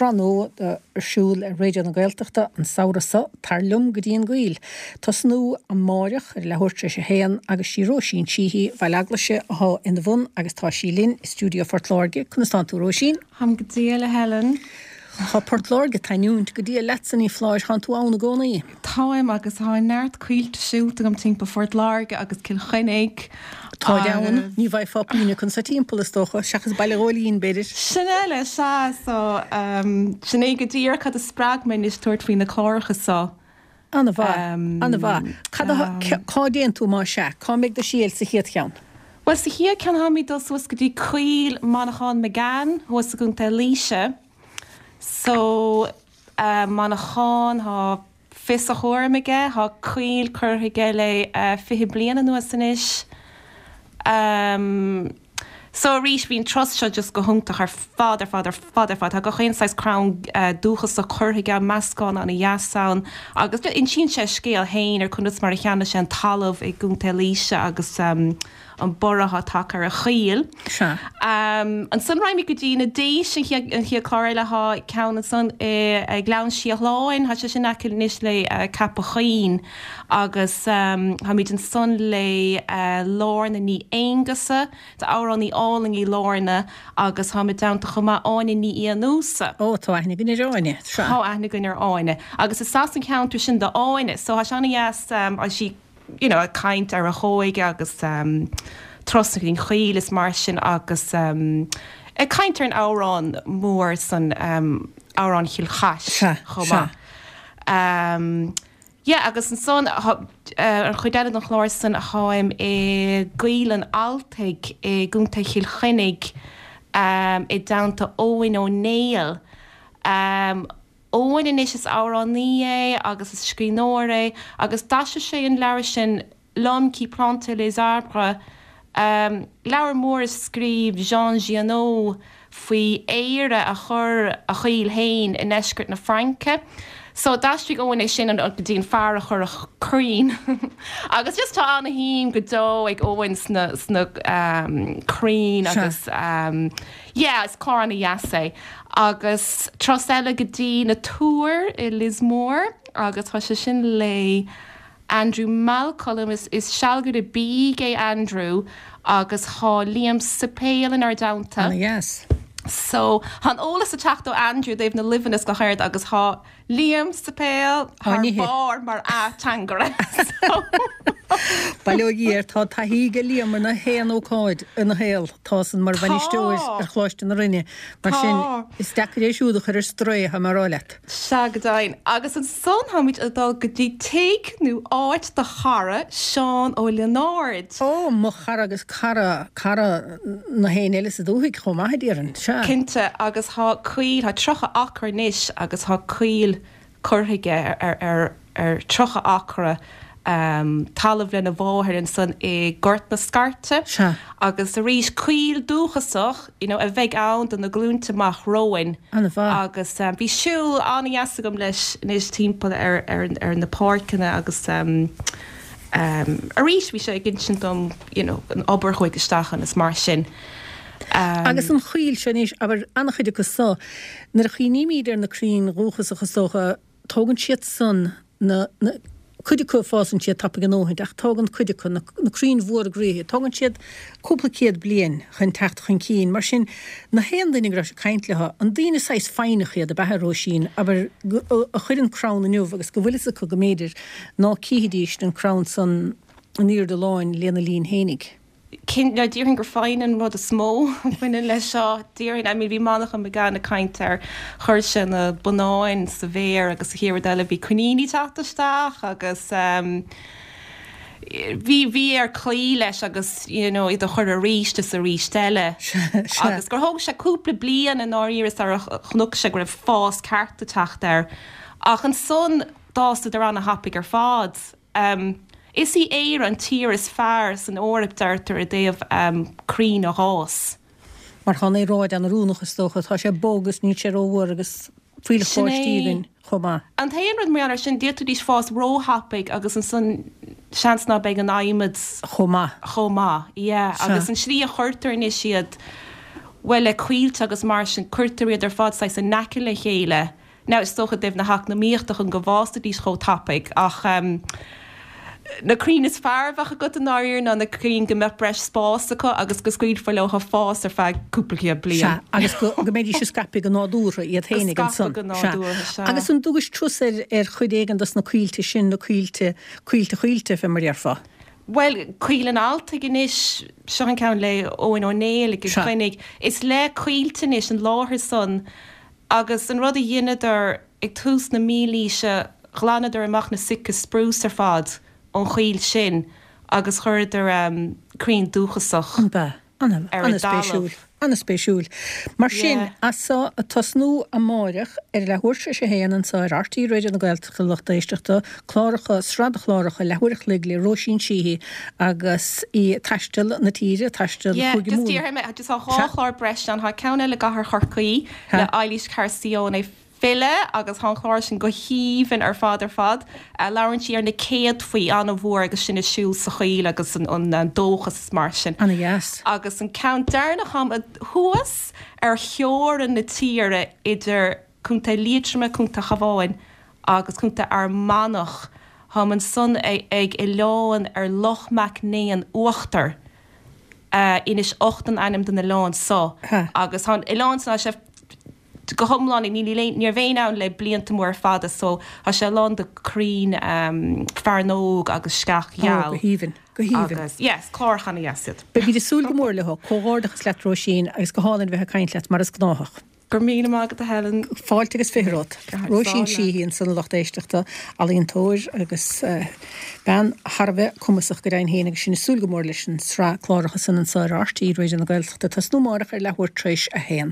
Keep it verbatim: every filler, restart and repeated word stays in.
sraith nua ar siúl ar Raidió na Gaeltachta an samhradh seo, Tar Liom go dtí an gCoill. Tosnú amáireach ar leathuair tar éis a haon agus sí Róisín Sheehy Bhaile Eaglaise athá ina bhun agus tá sí linn i stiúideo Phort Láirge. Conas tánn tú Róisín? Táim go diail a Helen. Tá Port Láirge ag taitneamh go diail leatsa ní foláir tánn tú ann i gcónaí. Táim agus tá neart coillte siúlta agam timpeall Phort Láirge agus Cill Chainnigh. Tá ann ní bhfaighfeá puinn acu sa timpeall is dócha, seachas Baile Ghóilín b'fhéidir. Sin eile sea so um, sin é go díreach cad a spreag mé anois tabhairt faoi na cláracha seo. An-mhaith, an-mhaith. Cad cá dtéann tú má sea, cá mbeidh do sheal sa chéad cheann? Well sa chéad cheann táimid dul suas go dtí coill Manachán McGann thuas i gContae Laoise. So uh, Manachán tá fios a chúraim aige, tá coill curtha aige le uh, fiche bliain anuas anois. Um, so arís bhí an turas seo just go hiontach ar fad ar fad ar fad ar fad, Tá gach aon saghas crann uh, dúchasach curtha aige meascán an-deas ann agus insíonn sé scéal féin ar conas mar a cheannaigh sé an talamh i gContae Laoise agus um, an borradh atá ar a choill. Sea. Um, ansan raghaimid go dtí na Déise an chéad chlár eile thá ceann ansan i Gleann Síothláin, Tá sé sin aice anois le uh, Ceapach Choinn agus um, táimid ansan le uh, Lorna Ní Aonghusa, Tá amhránaí álainn í Lorna agus táimid déanta chomh maith Áine Ní Fhiannúsa. Ó tá aithne againn ar Áine. Tá aithne againn ar Áine. Agus is as an cheantar sin do Áine, so tá sé an-deas um, sí you know, ag caint ar a hóige agus um, turas an choill is mar sin agus um, ag caint ar an amhrán mór san um, amhrán Chill Chais chomh maith. Um, yeah, agus ansan uh, an chuid eile den chlár san táim i gCoill an Altaigh i gContae Chill Chainnigh um, i dteannta Eoin Ó Néill. Um, Eoin anois is amhránaí é agus is scríbhneoir é agus d'aistrigh sé an leabhar sin L'homme qui plantait les arbres. Um, leabhar mór a scríobh Jean Giono faoi Éire a chur a choill féin i ndeisceart na Fraince. So d'aistrigh Eoin é sin an go dtí an fear a chuir a crainn. agus just tá an-shuim go deo ag Eoin sna, sna um, crainn agus um, yeah, is clár an-deas é. Agus turas eile go dtí na Túir i Lios Mór agus tá sé sin le Andrew Malcolm is, is sealgaire bídh é Andrew agus tá Liam Suipéil inár dteannta. Yes. So tá an eolas ag teacht ó Andrew dtaobh na luibheanna go háirithe agus tá Liam Suipéil thar barr mar ateangaire. Bail ó Dhia air tá taithí ag Liam ar na haon ócáid ina shaol tá san mar bhainisteoir ar Choláiste na Rinne mar sin is deacair é siúd a chur ar strae mar leat. Sea go deimhin agus ansan táimid ag dul go dtí tigh nó áit do chara Seán Ó Lionáird. Ó mo chara agus cara cara na héin eile sa dúthaigh chomh maith déarfainn sea. Cinnte agus tá coill tá tríocha acra anois agus tá coill curtha aige ar ar ar tríocha acra um, talamh lena mháthair ansan i Gort na Scairte agus arís coill dúchasach you know, a bheidh ann do na glúnta amach romhainn agus um, bhí siúl an-deas agam leis anois timpeall ar, ar, ar na páirceanna agus um, um, arís bhí sé ag insint dom you know, an obair chuig isteach an is mar sin. Um, agus an choill sin anois abair an-chuid acu so nuair a chuimhnímid ar na crainn dhúchasacha is dócha tógann siad san na, na cuid acu fásann siad tapaidh a ndóthain ach tógann cuid acu na, na crainn mhóra groíthe, tógann siad cúpla céad bliain chun teacht chun cinn. Mar sin na haon duine go raibh sé caint leo, an daoine saghas foighneach iad ab ea Róisín, abair a chuireann crann inniu agus go bhfuil fhios acu go mb'fhéidir ná cífidís an crann san in airde láin lena linn fhéinig. Cinn déarfainn gur foighne an rud is mó a bhaineann leis seo déarfainn I mean bhí Manchán Magan ag caint ar chuir sé na bonnáin sa bhféar agus sa chéad rud eile bhí coiníní teacht isteach agus um, bhí bhí air cloí leis agus you know, iad a chur arís is arís eile. Agus gur thóg sé cúpla bliain i ndáiríre sar a chonaic sé go raibh fás ceart ag teacht air. Ach ansan d'fhásadar an-thapaidh ar fad. Um, Is í Éire an tír is fearr san Eoraip deirtear i dtaobh um, crainn a fhás. Mar tá an aeráid an-oiriúnach is dócha, tá sé bog agus níl sé rófhuar agus fuílleach Sin báistí é. againn chomh maith. An t-aon rud mar sin d'fhéadfaidís fás róthapaidh agus ansan seans ná beidh an adhmad Chomh maith. chomh maith. Yeah, Sea. agus an slí a chuirtear anois iad Bhuel, le coillte agus mar sin, cuirtear iad ar fad saghas in aice le chéile. Now, is dócha i dtaobh na heacnamaíochta chun go bhfásfaidís chomh tapaidh, ach na crainn is fearr a bheadh agat i ndáiríre ná na crainn go mbeadh breis spáis acu agus go scaoilfear leo fás ar feadh cúpla céad bliain. Sea, agus go mbeidís ag scaipeadh go nádúrtha iad féinig ansan. Go scaipfeadh go nádúrtha, sea. Agus an dtugais turas ar ar chuid éigin dos na coillte sin, na coillte, coillte choillte, fé mar a déarfá? Bhuel, Coill an Altaigh anois, seo an ceann le Eoin Ó Néill i gCill Chainnigh. Is le coillte anois an láthair san agus an rud a dheineadar ag tús na mílaoise, ghlanadar amach na Sitka spruce ar fad ón choill sin agus chuireadar crainn dúchasach ar an dtalamh. An-spéisiúil. Mar sin, as so, ag tosnú amáireach ar leathuair tar éis a haon anso ar RTÉ Raidió na Gaeltachta, lucht éisteachta, cláracha, sraith de chláracha leathuair a chloig le Róisín Sheehy agus í ag taisteal na tíre, ag taisteal Yeah, Chúige just Mumhan. déarfaidh mé, just tá dhá chlár breise ann, tá ceann eile i gCathair Chorcaí le Eilís Carcione, file, agus tá an clár sin go haoibhinn ar fad ar fad. Labhrann sí ar na céadfaí an-mhór agus sinn ag siúl sa choill agus an dóchas is mar sin. Ana-dheas. Agus an ceann deireanach táim thuas ar theorainn na tíre idir Contae Liatroma, Contae Chabháin agus Contae Fhear Manach. Táim ansan ag oileán ar Loch Mac nÉan Uachtar. Inis Ocht an ainm den oileán so. Agus tá an oileán san, tá sé go hiomlán, ní raibh éinne ann le blianta móra fada so tá sé lán de crainn fearnóg agus sceach Ó, gheal. go haoibhinn, go haoibhinn. Agus, yes, cláracha ana-dheas iad. Beimid ag súil go mór leo. Comhghairdeachas leat Róisín agus go hálainn bheith ag caint leat mar is gnáthach. Go raibh míle maith agat a Helen. Fáilte agus fiche romhat. Róisín Sheehy ansan a lucht éisteachta, ealaíontóir agus bean thar a bheith cumasach go deimhin féin agus sinn ag súil go mór leis an sraith cláracha san anso ar RTÉ Raidió na Gaeltachta ag tosnú amárach ar leathuair tar éis a haon.